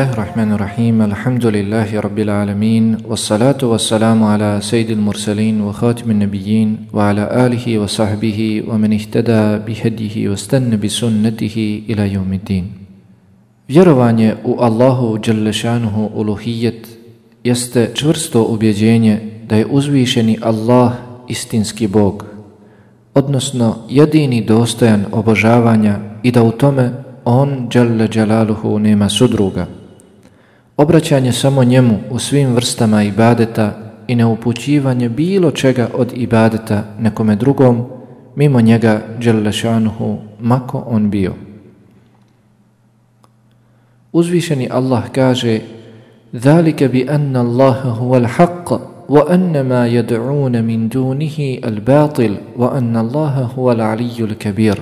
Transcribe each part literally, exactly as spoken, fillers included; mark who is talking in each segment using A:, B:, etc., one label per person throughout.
A: Bismillahirrahmanirrahim. Alhamdulillahi rabbil alamin. Wassalatu wassalamu ala sayyidil mursalin wa khatimin nabiyyin wa ala alihi wa sahbihi wa man ihtada bihadihi wa stanna bi sunnatihi ila yawmiddin. Vjerovanje u Allahu dželle šanuhu uluhijet jeste čvrsto ubjeđenje da je uzvišeni Allah istinski Bog, odnosno jedini dostojan obožavanja i da u tome On dželle dželaluhu nema sudruga. Obraćanje samo njemu u svim vrstama ibadeta i neupućivanje bilo čega od ibadeta nekome drugom mimo njega dželle šanuhu, mako on bio. Uzvišeni Allah kaže: "Zalika bi anna Allaha huwal haqq wa anna ma yad'un min dunihi al-batil wa anna Allaha huwal aliyyul kabir."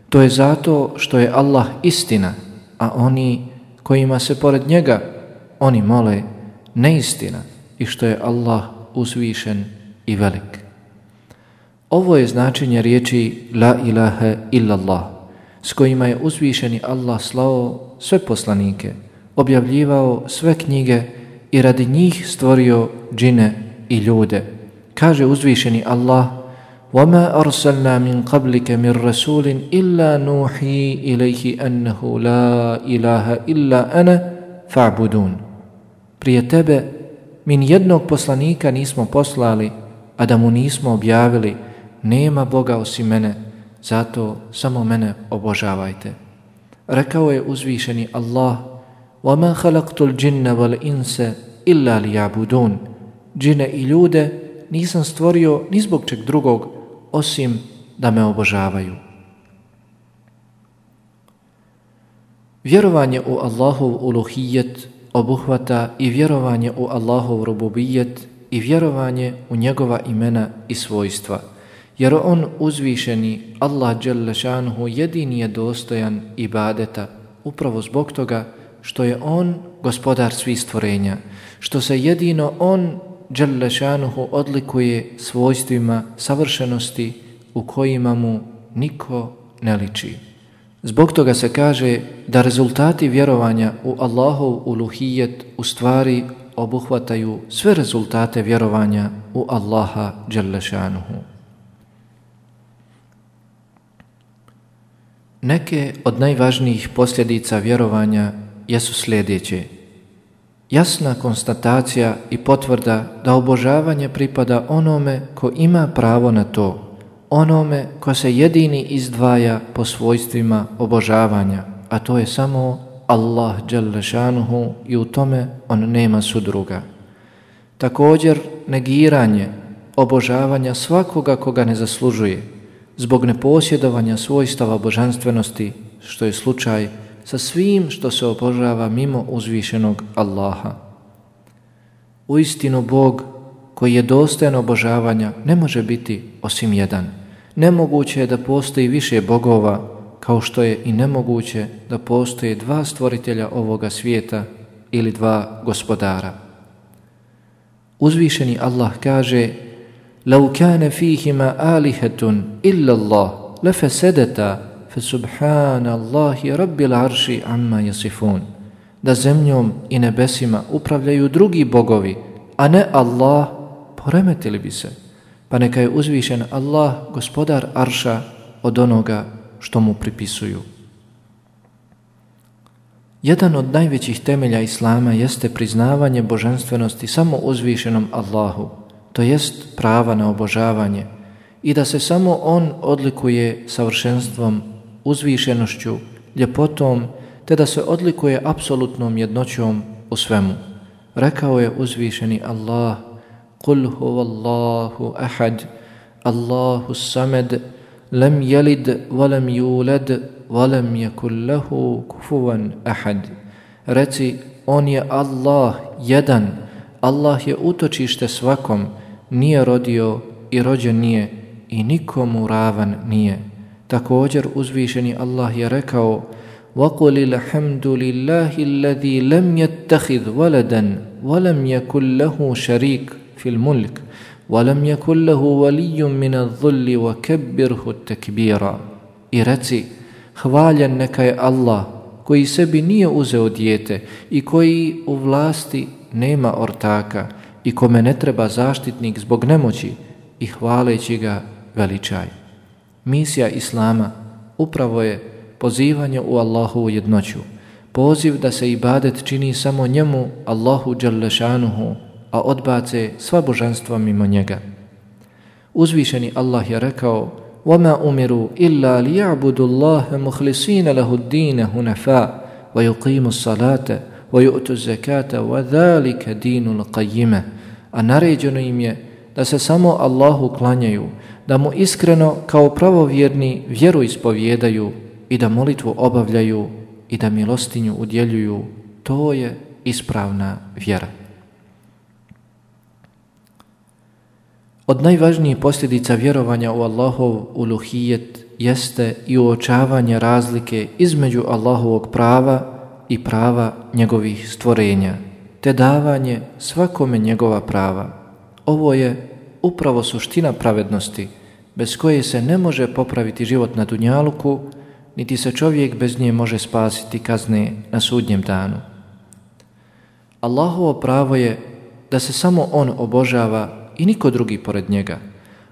A: To je zato što je Allah istina, a oni kojima se pored njega oni mole neistina, i što je Allah uzvišen i velik. Ovo je značenje riječi la ilaha illallah, s kojima je uzvišeni Allah slao sve poslanike, objavljivao sve knjige i radi njih stvorio džine i ljude. Kaže uzvišeni Allah: وَمَا أَرْسَلْنَا مِنْ قَبْلِكَ مِنْ رَسُولٍ إِلَّا نُوحِي إِلَيْهِ أَنَّهُ لَا إِلَهَ إِلَّا أَنَا فَاعْبُدُونَ. Prije tebe mi nijednog poslanika nismo poslali, a da mu nismo objavili: nema Boga osim mene, zato samo mene obožavajte. Rekao je uzvišeni Allah: وَمَا خَلَقْتُ الْجِنَّ وَالْإِنْسَ إِلَّا لِيَعْبُدُونَ. Džine i ljude nisam stvorio ni zbog čeg drugog osim da me obožavaju. Vjerovanje u Allahov uluhijet obuhvata i vjerovanje u Allahov rububijet i vjerovanje u njegova imena i svojstva, jer on uzvišeni Allah dželle šanuhu jedini je dostojan ibadeta upravo zbog toga što je on gospodar svih stvorenja, što se jedino on dželle šanuhu odlikuje svojstvima savršenosti u kojima mu niko ne liči. Zbog toga se kaže da rezultati vjerovanja u Allahov uluhijet u stvari obuhvataju sve rezultate vjerovanja u Allaha dželle šanuhu. Neke od najvažnijih posljedica vjerovanja jesu sljedeće: jasna konstatacija i potvrda da obožavanje pripada onome ko ima pravo na to, onome ko se jedini izdvaja po svojstvima obožavanja, a to je samo Allah dželle šanuhu, i u tome on nema sudruga. Također negiranje obožavanja svakoga koga ne zaslužuje zbog neposjedovanja svojstava božanstvenosti, što je slučaj sa svim što se obožava mimo uzvišenog Allaha. Uistinu Bog koji je dostojan obožavanja ne može biti osim jedan. Nemoguće je da postoji više bogova, kao što je i nemoguće da postoje dva stvoritelja ovoga svijeta ili dva gospodara. Uzvišeni Allah kaže: لَوْ كَانَ فِيهِمَا آلِهَةٌ إِلَّا اللَّهُ لَفَسَدَتَا فَسُبْحَانَ اللَّهِ رَبِّ الْعَرْشِ عَمَّا يَصِفُونَ. Da zemljom i nebesima upravljaju drugi bogovi, a ne Allah, poremetili bi se. Pa neka je uzvišen Allah gospodar arša od onoga što mu pripisuju. Jedan od najvećih temelja Islama jeste priznavanje božanstvenosti samo uzvišenom Allahu, to jest prava na obožavanje, i da se samo on odlikuje savršenstvom, uzvišenošću, ljepotom, te da se odlikuje apsolutnom jednoćom u svemu. Rekao je uzvišeni Allah: قُلْ هُوَ اللَّهُ أَحَدٌ اللَّهُ الصَّمَدُ لَمْ يَلِدْ وَلَمْ يُولَدْ وَلَمْ يَكُنْ لَهُ كُفُوًا أَحَدٌ. Reci, on je Allah jedan, Allah je utočište svakom, nije rodio i rođen nije i nikomu ravan nije. Također uzvišeni Allah je rekao: وَقُلِ الْحَمْدُ لِلَّهِ الَّذِي لَمْ يَتَّخِذْ وَلَدًا وَلَمْ يَكُنْ لَهُ شَرِيكٌ فِي الْمُلْكِ وَلَمْ يَكُنْ لَهُ وَلِيٌّ مِنَ الظُّلِّ وَكَبِّرْهُ تَكْبِيرًا. I reci, hvaljen neka je Allah koji sebi nije uzeo dijete i koji u vlasti nema ortaka i kome ne treba zaštitnik zbog nemoći i hvaleći ga veličaj. Misija Islama upravo je pozivanje u Allahovu jednoću, poziv da se ibadet čini samo njemu, Allahu dželle šanuhu, a odbace sva božanstva mimo njega. Uzvišeni Allah je rekao: وَمَا أُمِرُوا إِلَّا لِيَعْبُدُوا اللَّهَ مُخْلِصِينَ لَهُ الدِّينَ هُنَفَاءَ وَيُقِيمُوا الصَّلَاةَ وَيُؤْتُوا الزَّكَاةَ وَذَلِكَ دِينُ الْقَيِّمَةِ. A naređeno im je da se samo Allahu klanjaju, da mu iskreno kao pravovjerni vjeru ispovijedaju i da molitvu obavljaju i da milostinju udjeljuju. To je ispravna vjera. Od najvažnijih posljedica vjerovanja u Allahov uluhijet jeste i uočavanje razlike između Allahovog prava i prava njegovih stvorenja, te davanje svakome njegova prava. Ovo je upravo suština pravednosti, bez koje se ne može popraviti život na dunjaluku, niti se čovjek bez nje može spasiti kazne na sudnjem danu. Allahovo pravo je da se samo on obožava i niko drugi pored njega,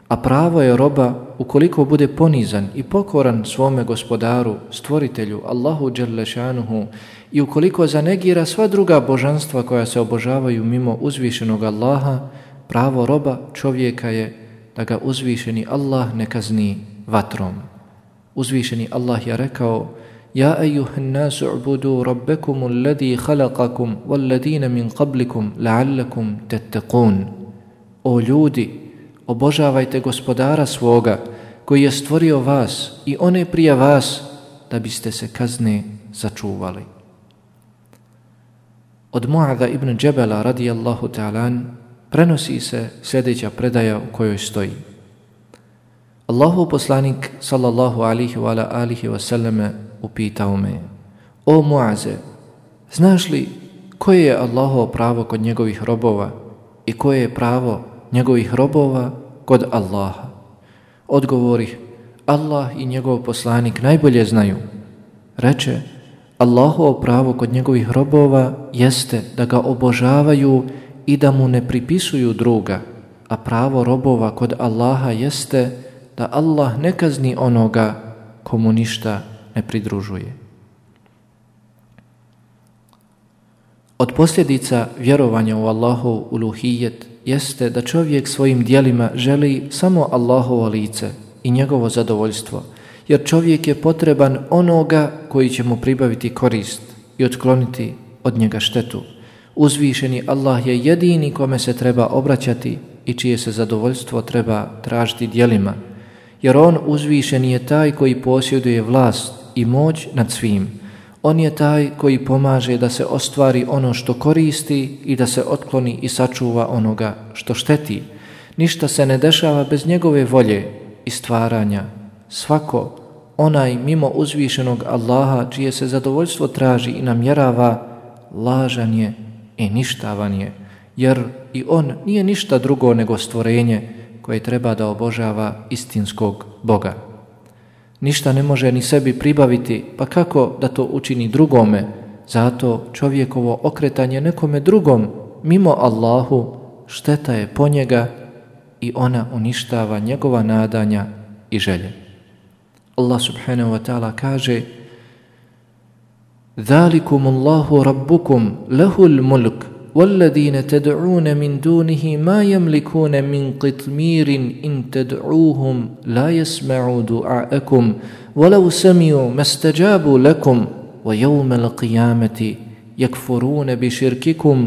A: a pravo je roba ukoliko bude ponizan i pokoran svome gospodaru, stvoritelju, Allahu dželle šanuhu, i ukoliko zanegira sva druga božanstva koja se obožavaju mimo uzvišenog Allaha, pravo roba čovjeka je da ga uzvišeni Allah ne kazni vatrom. Uzvišeni Allah je rekao: Ja ejuhan nasu ubudu rabbekum alladhi khalaqakum walladina min qablikum la'allakum tattaqun. O ljudi, obožavajte gospodara svoga koji je stvorio vas i one prije vas da biste se kazne začuvali. Od Mu'adha ibn Džebela radijallahu ta'ala prenosi se sljedeća predaja u kojoj stoji: Allahov poslanik sallallahu alihi wa alihi wa sallame upitao me: O Mu'aze, znaš li koje je Allahovo pravo kod njegovih robova i koje je pravo njegovih robova kod Allaha? Odgovorih: Allah i njegov poslanik najbolje znaju. Reče: Allahovo pravo kod njegovih robova jeste da ga obožavaju i da mu ne pripisuju druga, a pravo robova kod Allaha jeste da Allah ne kazni onoga komu ništa ne pridružuje. Od posljedica vjerovanja u Allahov uluhijet jeste da čovjek svojim djelima želi samo Allahovo lice i njegovo zadovoljstvo, jer čovjek je potreban onoga koji će mu pribaviti korist i otkloniti od njega štetu. Uzvišeni Allah je jedini kome se treba obraćati i čije se zadovoljstvo treba tražiti djelima, jer on uzvišeni je taj koji posjeduje vlast i moć nad svim. On je taj koji pomaže da se ostvari ono što koristi i da se otkloni i sačuva onoga što šteti. Ništa se ne dešava bez njegove volje i stvaranja. Svako onaj mimo uzvišenog Allaha čije se zadovoljstvo traži i namjerava, lažan je i ništavan je, jer i on nije ništa drugo nego stvorenje koje treba da obožava istinskog Boga. Ništa ne može ni sebi pribaviti, pa kako da to učini drugome? Zato čovjekovo okretanje nekome drugom mimo Allahu šteta je po njega i ona uništava njegova nadanja i želje. Allah subhanahu wa ta'ala kaže: ذَلِكُمُ اللَّهُ رَبُّكُمْ لَهُ الْمُلْكُ وَالَّذِينَ تَدْعُونَ مِنْ دُونِهِ مَا يَمْلِكُونَ مِنْ قِطْمِيرٍ إِنْ تَدْعُوهُمْ لَا يَسْمَعُوا دُعَاءَكُمْ وَلَوْ سَمِعُوا مَا اسْتَجَابُوا لَكُمْ وَيَوْمَ الْقِيَامَةِ يَكْفُرُونَ بِشِرْكِكُمْ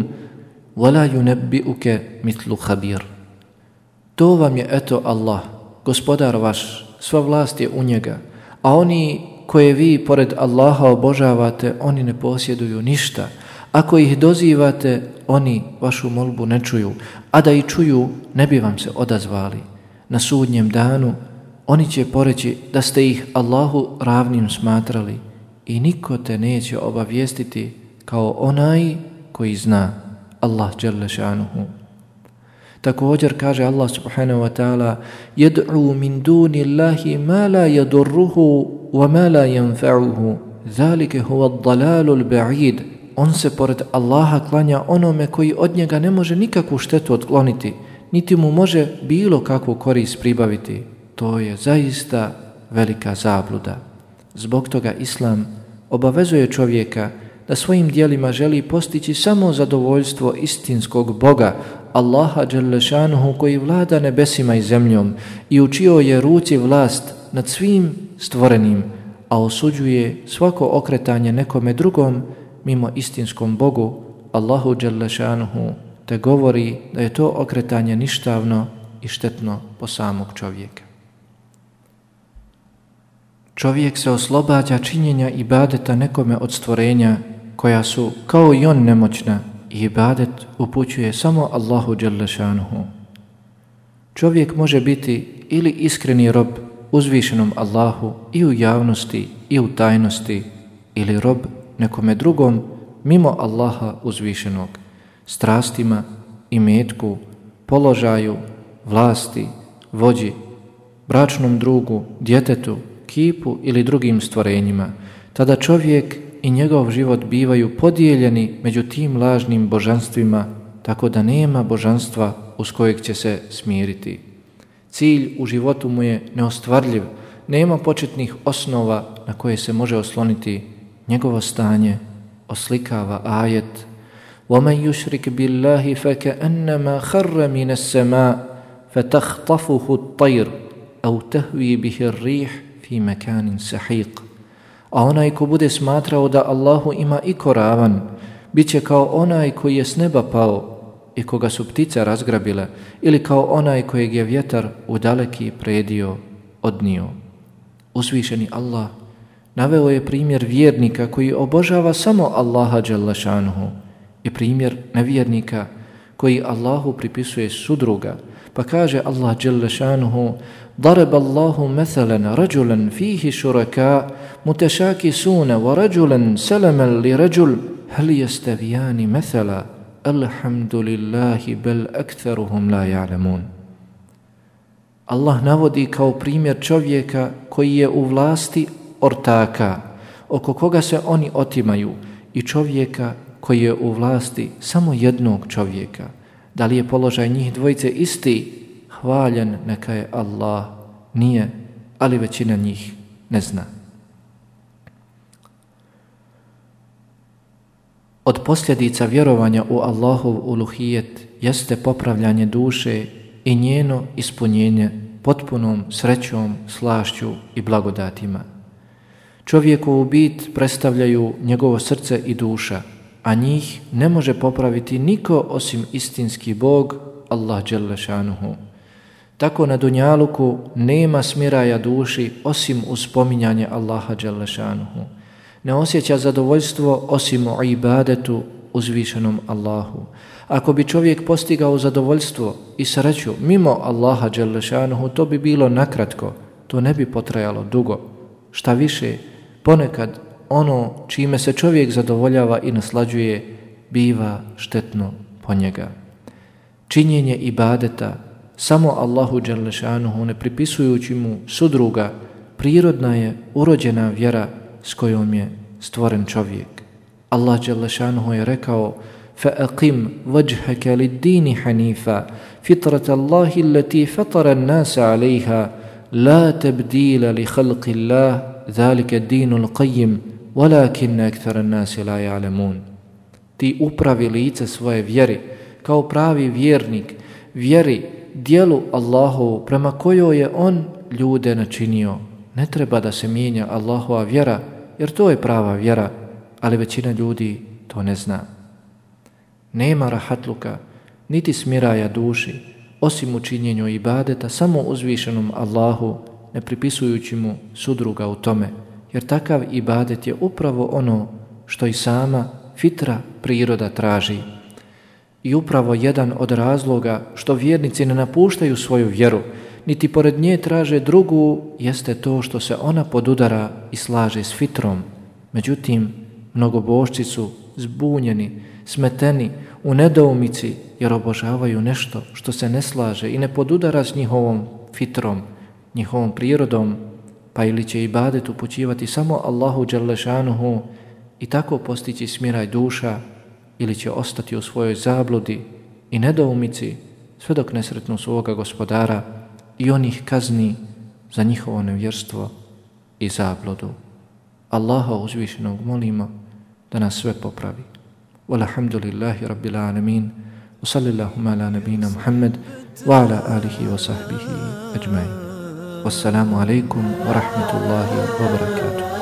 A: وَلَا يُنَبِّئُكَ مِثْلُ خَبِيرٍ. To vam je eto Allah, gospodar vaš, sva vlast je u njega, a oni koje vi pored Allaha obožavate, oni ne posjeduju ništa. Ako ih dozivate, oni vašu molbu ne čuju, a da i čuju, ne bi vam se odazvali. Na sudnjem danu oni će poreći da ste ih Allahu ravnim smatrali i niko te neće obavijestiti kao onaj koji zna, Allah dželle šanuhu. Također kaže Allah subhanahu wa ta'ala: يَدْعُوا مِنْ دُونِ اللَّهِ مَا لَا يَضُرُّهُ وَمَا لَا يَنْفَعُهُ ذَلِكَ هُوَ الضَّلَالُ الْبَعِيدُ. On se pored Allaha klanja onome koji od njega ne može nikakvu štetu otkloniti, niti mu može bilo kakvu korist pribaviti. To je zaista velika zabluda. Zbog toga Islam obavezuje čovjeka da svojim djelima želi postići samo zadovoljstvo istinskog Boga, Allaha dželle šanuhu, koji vlada nebesima i zemljom i u čijoj je ruci vlast nad svim stvorenim, a osuđuje svako okretanje nekome drugom mimo istinskom Bogu, Allahu dželle šanuhu, te govori da je to okretanje ništavno i štetno po samog čovjeka. Čovjek se oslobađa činjenja ibadeta nekome od stvorenja koja su kao i on nemoćna i ibadet upućuje samo Allahu dželle šanuhu. Čovjek može biti ili iskreni rob uzvišenom Allahu i u javnosti i u tajnosti, ili rob nekome drugom mimo Allaha uzvišenog, strastima, imetku, položaju, vlasti, vođi, bračnom drugu, djetetu, kipu ili drugim stvorenjima. Tada čovjek i njegov život bivaju podijeljeni među tim lažnim božanstvima, tako da nema božanstva uz kojeg će se smiriti. Cilj u životu mu je neostvarljiv, nema početnih osnova na koje se može osloniti. Njegovo stanje oslikava ajet: وَمَنْ يُشْرِكْ بِاللَّهِ فَكَأَنَّمَا خَرَّ مِنَ السَّمَاءِ فَتَخْطَفُهُ الطَّيْرُ أَوْ تَهْوِي بِهِ الرِّيحُ فِي مَكَانٍ سَحِيقٍ. A onaj ko bude smatrao da Allahu ima iko ravan, bit će kao onaj koji je s neba pao i koga su ptice razgrabile, ili kao onaj kojeg je vjetar u daleki predio odnio. Uzvišeni Allah naveo je primjer vjernika koji obožava samo Allaha dželle šanuhu i primjer nevjernika koji Allahu pripisuje sudruga, pa kaže Allah dželle šanuhu: ضرب الله مثلا رجلا فيه شركاء متشاكسون ورجلا سلما لرجل هل يستويان مثلا الحمد لله بل أكثرهم لا يعلمون. Allah navodi kao primjer čovjeka koji je u vlasti ortaka, oko koga se oni otimaju, i čovjeka koji je u vlasti samo jednog čovjeka. Da li je položaj njih dvojice isti? Hvaljen neka je Allah. Nije, ali većina njih ne zna. Od posljedica vjerovanja u Allahov uluhijet jeste popravljanje duše i njeno ispunjenje potpunom srećom, slašću i blagodatima. Čovjekovu bit predstavljaju njegovo srce i duša, a njih ne može popraviti niko osim istinski Bog, Allah dželle šanuhu. Tako na dunjaluku nema smiraja duši osim uz spominjanje Allaha dželle šanuhu. Ne osjeća zadovoljstvo osim u ibadetu uzvišenom Allahu. Ako bi čovjek postigao zadovoljstvo i sreću mimo Allaha dželle šanuhu, to bi bilo nakratko, to ne bi potrajalo dugo. Šta više, ponekad ono čime se čovjek zadovoljava i naslađuje biva štetno po njega. Činjenje ibadeta samo Allahu dželle šanuhu, ne pripisujući mu sudruga, prirodna je urođena vjera s kojom je stvoren čovjek. Allah dželle šanuhu je rekao: فَأَقِمْ وَجْهَكَ لِلدِّينِ حَنِيفًا فِطْرَةَ اللَّهِ الَّتِي فَطَرَ النَّاسَ عَلَيْهَا لَا تَبْدِيلَ لِخَلْقِ اللَّهِ ذَلِكَ الدِّينُ الْقَيِّمُ وَلَكِنَّ أَكْثَرَ النَّاسِ لَا يَعْلَمُونَ. Ti upravi lice svoje vjeri kao pravi vjernik, vjeri dijelu Allahovu prema kojoj je on ljude načinio. Ne treba da se mijenja Allahova vjera, jer to je prava vjera, ali većina ljudi to ne zna. Nema rahatluka, niti smiraja duši, osim u činjenju ibadeta samo uzvišenom Allahu, ne pripisujući mu sudruga u tome, jer takav ibadet je upravo ono što i sama fitra priroda traži. I upravo jedan od razloga što vjernici ne napuštaju svoju vjeru, niti pored nje traže drugu, jeste to što se ona podudara i slaže s fitrom. Međutim, mnogobožci su zbunjeni, smeteni, u nedoumici, jer obožavaju nešto što se ne slaže i ne podudara s njihovom fitrom, njihovom prirodom, pa pa ili će ibadet upućivati samo Allahu dželle šanuhu i tako postići smiraj duša, ili će ostati u svojoj zabludi i nedoumici sve dok ne sretnu svoga gospodara i on ih kazni za njihovo nevjerstvo i zabludu. Allaha uzvišenog molimo da nas sve popravi. Walhamdulillahi rabbil alamin. Wa sallallahu ala nabina Muhammad wa ala alihi wa sahbihi ajma'in. Wassalamu alaikum wa rahmatullahi wa barakatuh.